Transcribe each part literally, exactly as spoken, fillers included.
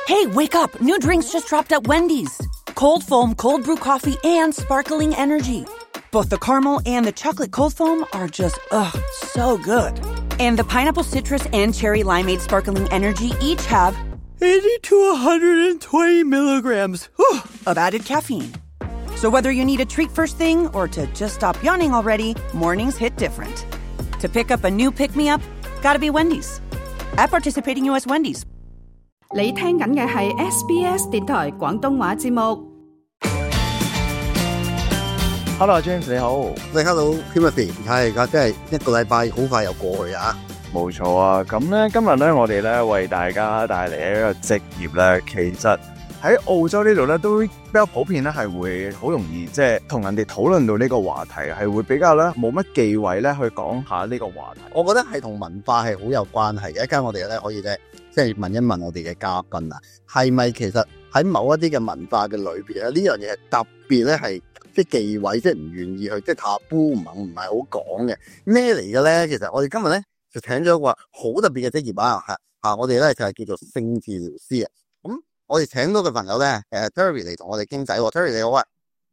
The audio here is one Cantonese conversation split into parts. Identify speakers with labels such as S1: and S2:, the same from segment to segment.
S1: Hey, wake up! New drinks just dropped at Wendy's. Cold foam, cold brew coffee, and sparkling energy. Both the caramel and the chocolate cold foam are just, ugh, so good. And the pineapple citrus and cherry limeade sparkling energy each have eighty to one hundred twenty milligrams whew, of added caffeine. So whether you need a treat first thing or to just stop yawning already, mornings hit different. To pick up a new pick-me-up, gotta be Wendy's. At participating U S Wendy's.
S2: 你聽緊嘅係 S B S 電台廣東話節目。
S3: Hello James 你好，
S4: 喂 Hello Timothy， 係而家真係一個禮拜好快又過去啊！
S3: 冇錯啊，咁咧今日咧我哋咧為大家帶嚟一個職業咧，其實喺澳洲呢度咧都比較普遍咧，係會好容易即係同人哋討論到呢個話題，係會比較咧冇乜忌諱咧去講下呢個話題。
S4: 我覺得係同文化係好有關係嘅，一間我哋咧可以咧即係問一問我哋嘅嘉賓啊，係咪其實喺某一啲嘅文化嘅裏邊咧，呢樣嘢係特別咧係即係忌諱，即係唔願意去，即係塔布唔唔係好講嘅咩嚟嘅咧？其實我哋今日咧就請咗一個好特別嘅職業啊，嚇嚇，我哋咧就係叫做性治療師啊。咁我哋請到嘅朋友咧，誒 Terry 嚟同我哋傾偈喎。Terry 你好啊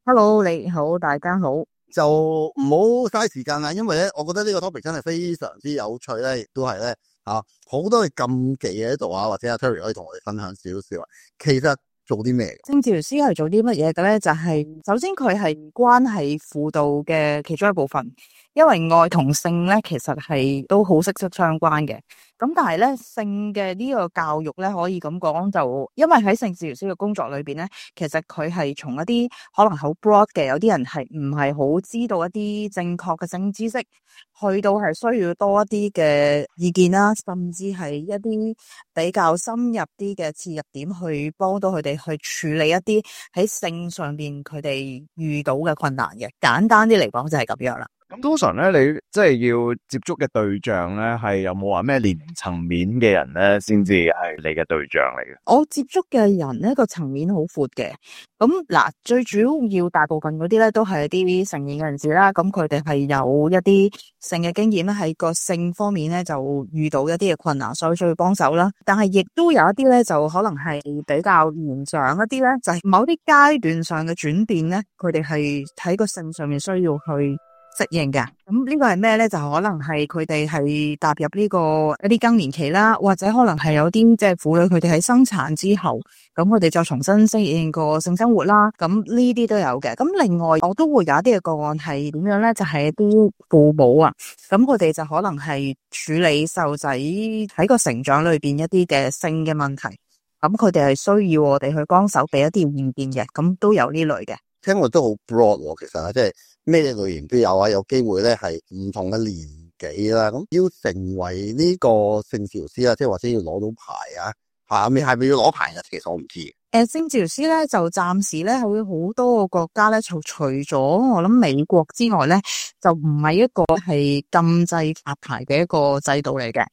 S5: ，Hello 你好，大家好。
S4: 就唔好嘥時間啦，因為咧，我覺得呢個 topic 真係非常之有趣咧，亦都係咧嚇好多嘅禁忌喺度啊，或者阿 Terry 可以同我哋分享少少啊。其實做啲咩嘅？
S5: 性治療師係做啲乜嘢嘅咧？就係、是、首先佢係關係輔導嘅其中一部分，因為愛同性咧其實係都好息息相關嘅。咁但係咧性嘅呢個教育咧，可以咁講就，因為喺性治療師嘅工作裏邊咧，其實佢係從一啲可能好 broad 嘅，有啲人係唔係好知道一啲正確嘅性知識，去到係需要多一啲嘅意見啦，甚至係一啲比較深入啲嘅切入點，去幫到佢哋去處理一啲喺性上邊佢哋遇到嘅困難嘅。簡單啲嚟講就係咁樣啦。
S3: 咁通常咧，你即係要接觸嘅對象咧，係有冇話咩年齡層面嘅人咧，先至係你嘅對象嚟嘅？
S5: 我接觸嘅人咧個層面好闊嘅。咁嗱，最主要大部分嗰啲咧都係一啲成年嘅人士啦。咁佢哋係有一啲性嘅經驗咧，喺個性方面咧就遇到一啲嘅困難，所以需要幫手啦。但係亦都有一啲咧，就可能係比較年長一啲咧，就係某啲階段上嘅轉變咧，佢哋係喺個性上面需要去適應嘅。咁呢個係咩咧？就可能係佢哋係踏入呢個一啲更年期啦，或者可能係有啲即係婦女佢哋喺生產之後，咁佢哋就重新適應個性生活啦。咁呢啲都有嘅。咁另外我都會有一啲嘅個案係點樣咧？就係啲父母啊，咁佢哋就可能係處理細路仔喺個成長裏邊一啲嘅性嘅問題，咁佢哋係需要我哋去幫手俾一啲意見嘅。咁都有呢類嘅。
S4: 聽落都好 broad 喎，其實啊，即係咩類型都有啊，有機會咧係唔同嘅年紀啦。咁要成為呢個性治療師啊，即係或者要攞到牌啊，係咪係咪要攞牌啊？其實我唔知。
S5: 誒，性治療師咧就暫時咧會好多個國家咧，就除咗我諗美國之外咧，就唔係一個係禁制發牌嘅一個制度嚟嘅。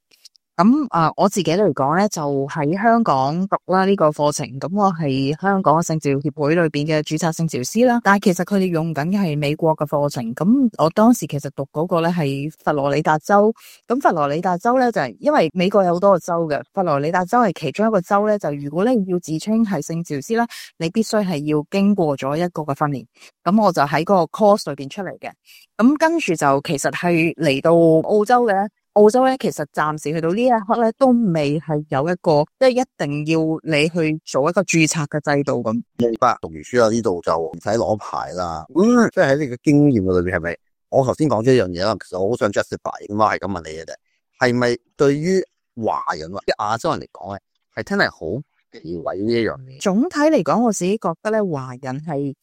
S5: 咁啊、呃，我自己嚟講咧，就喺香港讀啦呢個課程。咁我係香港性治療協會裏邊嘅註冊性治療師啦。但係其實佢哋用緊嘅係美國嘅課程。咁我當時其實讀嗰個咧係佛羅里達州。咁佛羅里達州咧就係、是、因為美國有好多個州嘅，佛羅里達州係其中一個州咧。就如果你要自稱係性治療師啦，你必須係要經過咗一個嘅訓練。咁我就喺嗰個 course 裏邊出嚟嘅。咁跟住就其實係嚟到澳洲嘅。澳洲咧，其實暫時去到呢一刻咧，都未係有一個即係一定要你去做一個註冊嘅制度咁。
S4: 明白，讀完書啊呢度就唔使攞牌啦。嗯，即係喺你嘅經驗嘅裏邊，係咪？我頭先講咗一樣嘢啦，其實我好想 justify， 咁我係咁問你嘅啫。係咪對於華人或者亞洲人嚟講咧，係真係好忌諱呢一樣嘢？
S5: 總體嚟講，我自己覺得咧，華人係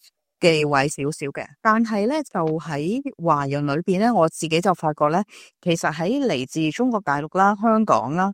S5: 忌諱少少嘅，但係咧就喺華人裏邊咧，我自己就發覺咧，其實喺嚟自中國大陸啦、香港啦，誒、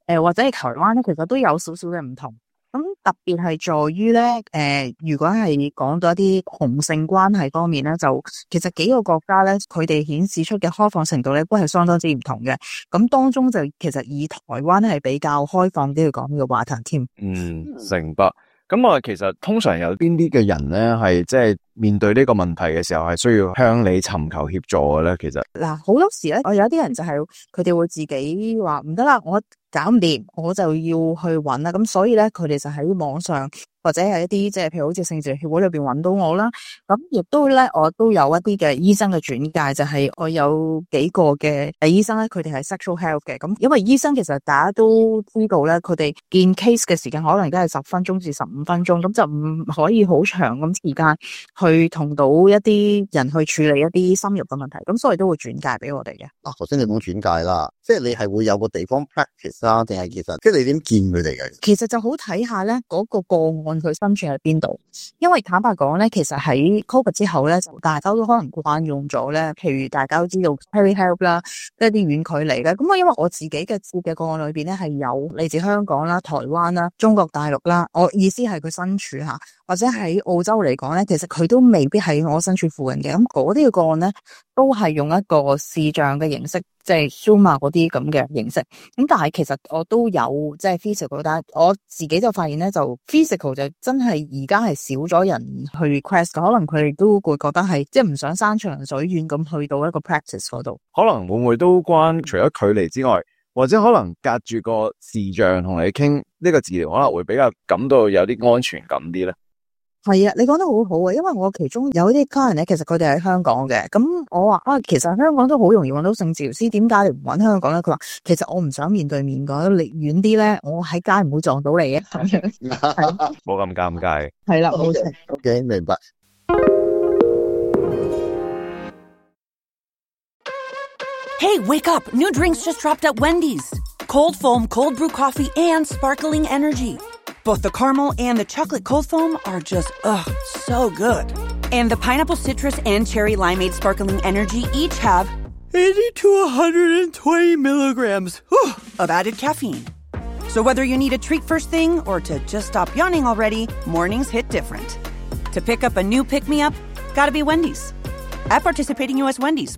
S5: 呃、或者係台灣咧，其實都有少少嘅唔同。咁特別係在於咧，誒、呃、如果係講到一啲同性關係方面咧，就其實幾個國家咧，佢哋顯示出嘅開放程度咧，都係相當之唔同嘅。咁當中就其實以台灣係比較開放啲去講呢個話題添。
S3: 嗯，明白。咁我其實通常有邊啲嘅人咧，係即係面對呢個問題嘅時候，係需要向你尋求協助嘅咧？其實
S5: 嗱，好多時咧，我有啲人就係佢哋會自己話唔得啦，我搞唔掂，我就要去揾啦。咁所以咧，佢哋就喺網上或者係一啲即係譬如好似性治療協會裏邊揾到我啦。咁亦都咧，我都有一啲嘅醫生嘅轉介，就係、是、我有幾個嘅醫生咧，佢哋係 sexual health 嘅。咁因為醫生其實大家都知道咧，佢哋見 case 嘅時間可能都係十分鐘至十五分鐘，咁就唔可以好長咁時間去同到一啲人去處理一啲深入嘅問題。咁所以都會轉介俾我哋嘅。
S4: 啊，頭先你講轉介啦，即係你係會有個地方 practice 啊，定係其實即係你點見佢哋嘅？
S5: 其實就好睇下咧嗰個個案佢身處喺邊度，因為坦白講咧，其實喺 COVID 之後咧，就大家都可能慣用咗咧，譬如大家都知道 telehealth 啦，一啲遠距離嘅。咁啊，因為我自己嘅接嘅個案裏邊咧係有嚟自香港啦、台灣啦、中國大陸啦，我意思係佢身處吓，或者喺澳洲嚟講咧，其實佢都未必喺我身處附近嘅。咁嗰啲嘅個案咧，都係用一個視像嘅形式，即係 Zoom 啊嗰啲咁嘅形式。咁但係其實我都有即係 physical，但係我自己就發現咧，就 physical 就真係而家係少咗人去 request，可能佢哋都會覺得係即係唔想山長水遠咁去到一個 practice 嗰度。
S3: 可能會唔會都關除咗距離之外，或者可能隔住個視像同你傾呢個治療，可能會比較感到有啲安全感啲咧？
S5: 係啊，你講得好好啊，因為我其中有啲客人咧，其實佢哋喺香港嘅，咁我話啊，其實香港都好容易揾到性治療師，點解你唔揾香港咧？佢話其實我唔想面對面㗎，離遠啲咧，我喺街唔會撞到你嘅，咁樣
S3: 冇咁尷尬。
S5: 係啦，冇錯。
S4: OK，明白。
S1: Hey, wake up! New drinks just dropped at Wendy's. Cold foam, cold brew coffee, and sparkling energy. Both the caramel and the chocolate cold foam are just, ugh, so good. And the pineapple citrus and cherry limeade sparkling energy each have eighty to one hundred twenty milligrams whew, of added caffeine. So whether you need a treat first thing or to just stop yawning already, mornings hit different. To pick up a new pick-me-up, gotta be Wendy's. At participating U S Wendy's.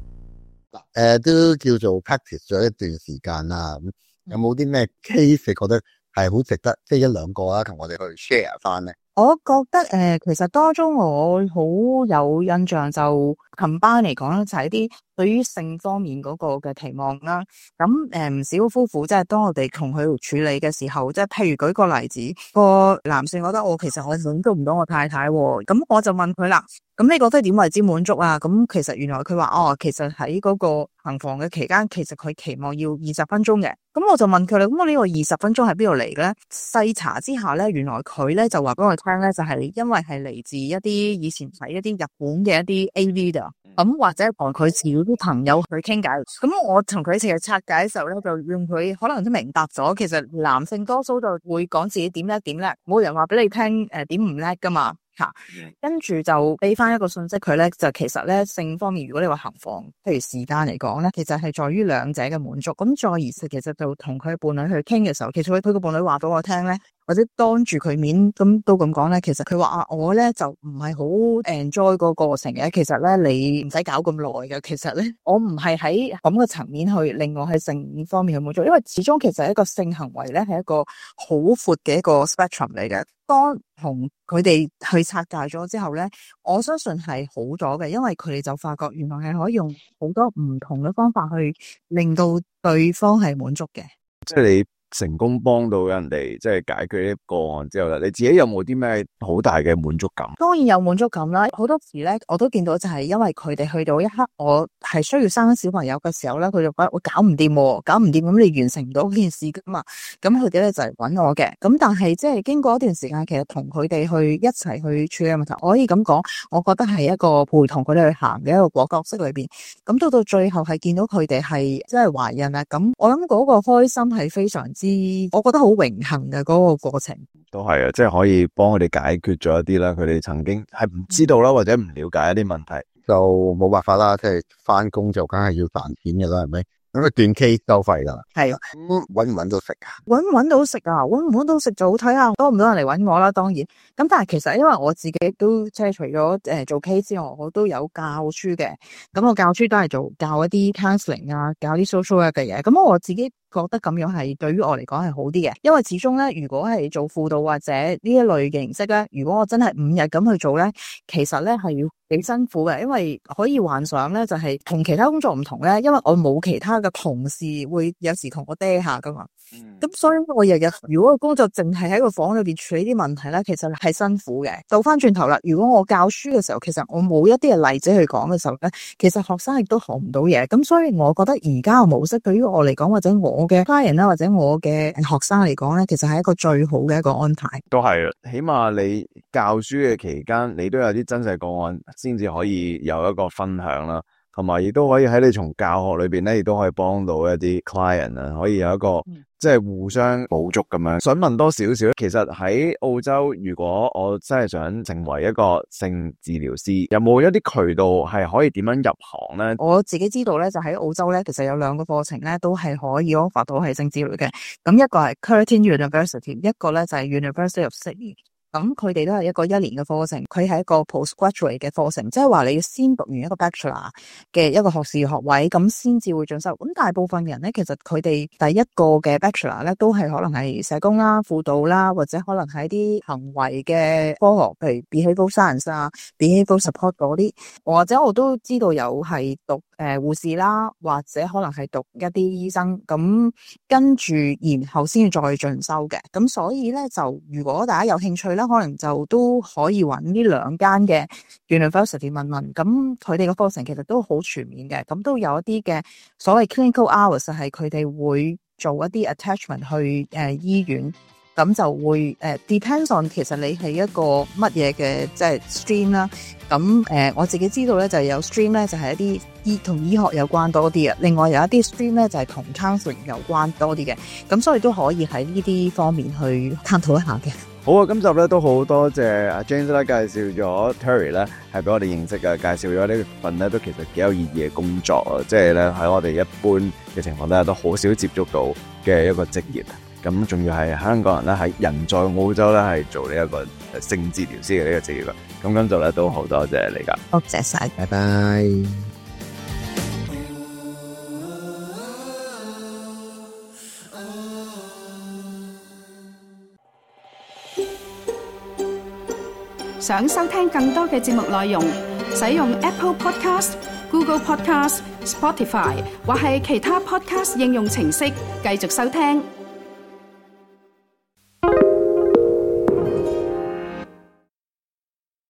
S4: 誒、呃，都叫做 practice 咗一段時間啦。咁有冇啲咩 case 覺得係好值得，即係一兩個啦，同我哋去 share 翻咧？
S5: 我覺得誒、呃，其實當中我好有印象就琴班嚟講咧，就係啲對於性方面嗰個嘅期望啦。咁誒唔少夫婦即係當我哋同佢處理嘅時候，即係譬如舉個例子，個男性覺得我其實我滿足唔到我太太，咁我就問佢啦。咁你覺得點為之滿足啊？咁其實原來佢話哦，其實喺嗰個行房嘅期間，其實佢期望要二十分鐘嘅。咁我就問佢啦，咁我呢個二十分鐘喺邊度嚟嘅咧？細查之下咧，原來佢咧就話俾我聽咧，就係因為係嚟自一啲以前睇一啲日本嘅一啲 A V 啊，咁或者同佢自己啲朋友去傾偈。咁我同佢一齊去拆解嘅時候咧，就用佢可能都明白咗，其實男性多數就會講自己點叻點叻，冇人話俾你聽誒點唔叻噶嘛。吓，跟住就俾翻一個信息佢咧，就其實咧性方面，如果你話行房，譬如時間嚟講咧，其實係在於兩者嘅滿足。咁再而是，其實就同佢伴侶去傾嘅時候，其實佢佢個伴侶話俾我聽咧，或者當住佢面咁都咁講咧，其實佢話啊，我咧就唔係好 enjoy 個過程嘅。其實咧你唔使搞咁耐嘅。其實咧我唔係喺咁嘅層面去令我喺性方面去滿足，因為始終其實一個性行為咧係一個好闊嘅一個 spectrum 嚟嘅。當同佢哋去拆解咗之後咧，我相信係好咗嘅，因為佢哋就發覺原來係可以用好多唔同嘅方法去令到對方係滿足嘅。
S3: 即係你成功幫到人哋，即係解決呢個案之後咧，你自己有冇啲咩好大嘅滿足感？
S5: 當然有滿足感啦，好多時咧我都見到就係因為佢哋去到一刻，我係需要生小朋友嘅時候咧，佢就覺得我搞唔掂，搞唔掂，咁你完成唔到呢件事噶嘛，咁佢哋咧就係揾我嘅。咁但係即係經過一段時間，其實同佢哋去一齊去處理問題，我可以咁講，我覺得係一個陪同佢哋去行嘅一個果角色裏邊。咁到到最後係見到佢哋係即係懷孕啦，咁我諗嗰個開心係非常之，我覺得好榮幸嘅嗰個過程。
S3: 都係啊，即係可以幫佢哋解決咗一啲啦，佢哋曾經係唔知道啦，或者唔了解一啲問題，
S4: 就冇辦法啦，即係翻工就梗係要賺錢嘅啦，係咪？咁佢斷 K 收費噶啦，
S5: 係
S4: 咁搵唔搵到食啊？
S5: 搵唔搵到食啊？搵唔搵到食就好睇下多唔多人嚟搵我啦。當然，咁但係其實因為我自己都即係除咗誒做 K 之外，我都有教書嘅。咁我教書都係做教一啲 counseling 啊，教啲 social work 嘅嘢。咁我自己覺得咁樣係對於我嚟講係好啲嘅，因為始終咧，如果係做輔導或者呢一類嘅形式咧，如果我真係五日咁去做咧，其實咧係要幾辛苦嘅，因為可以幻想咧就係同其他工作唔同咧，因為我冇其他嘅同事會有時同我嗲下噶嘛，咁、嗯、所以我日日如果個工作淨係喺個房裏邊處理啲問題咧，其實係辛苦嘅。倒翻轉頭啦，如果我教書嘅時候，其實我冇一啲嘅例子去講嘅時候咧，其實學生亦都學唔到嘢，咁所以我覺得而家嘅模式對於我嚟講，或者我嘅家人啦，或者我嘅學生嚟講咧，其實係一個最好嘅一個安排。
S3: 都係，起碼你教書嘅期間，你都有啲真實個案，先至可以有一個分享啦。同埋亦都可以喺你從教學裏邊咧，亦都可以幫到一啲 client 啊，可以有一個、嗯、即係互相補足咁樣。想問多少少，其實喺澳洲，如果我真係想成為一個性治療師，有冇一啲渠道係可以點樣入行咧？
S5: 我自己知道咧，就喺澳洲咧，其實有兩個課程咧，都係可以 offer 到係性治療嘅。咁一個係 Curtin University， 一個咧就係 University of Sydney。咁佢哋都係一個一年嘅課程，佢係一個 postgraduate 嘅課程，即係話你要先讀完一個 bachelor 嘅一個學士學位，咁先至會進修。咁大部分人咧，其實佢哋第一個嘅 bachelor 咧，都係可能係社工啦、輔導啦，或者可能係啲行為嘅科學，譬如 behavioral science 啊、behavioral support 嗰啲，或者我都知道有係讀誒護士啦，或者可能係讀一啲醫生，咁跟住然後先至再進修嘅。咁所以咧，就如果大家有興趣啦，可能就都可以揾呢兩間嘅 University 問問，咁佢哋嘅課程其實都好全面嘅，咁都有一啲嘅所謂 clinical hours 係佢哋會做一啲 attachment 去誒、呃、醫院，咁就會誒、呃、depends on 其實你係一個乜嘢嘅即係 stream 啦。咁誒、呃、我自己知道咧就有 stream 咧就係、是、一啲醫同醫學有關多啲嘅，另外有一啲 stream 咧就係、是、同 counseling 有關多啲嘅，咁所以都可以喺呢啲方面去探討一下嘅。
S3: 好啊，今集咧都好多謝阿 James 咧介紹咗 Terry 咧係俾我哋認識嘅，介紹咗呢份咧都其實幾有意義嘅工作啊，即係咧喺我哋一般嘅情況底下都好少接觸到嘅一個職業，咁仲要係香港人咧喺人在澳洲咧係做呢一個性治療師嘅呢個職業啊，咁今集咧都好多謝你噶，
S5: 多謝晒，
S4: 拜拜。
S2: 想收聽更多嘅節目內容，使用 Apple Podcast、Google Podcast、Spotify 或係其他 Podcast 應用程式繼續收聽。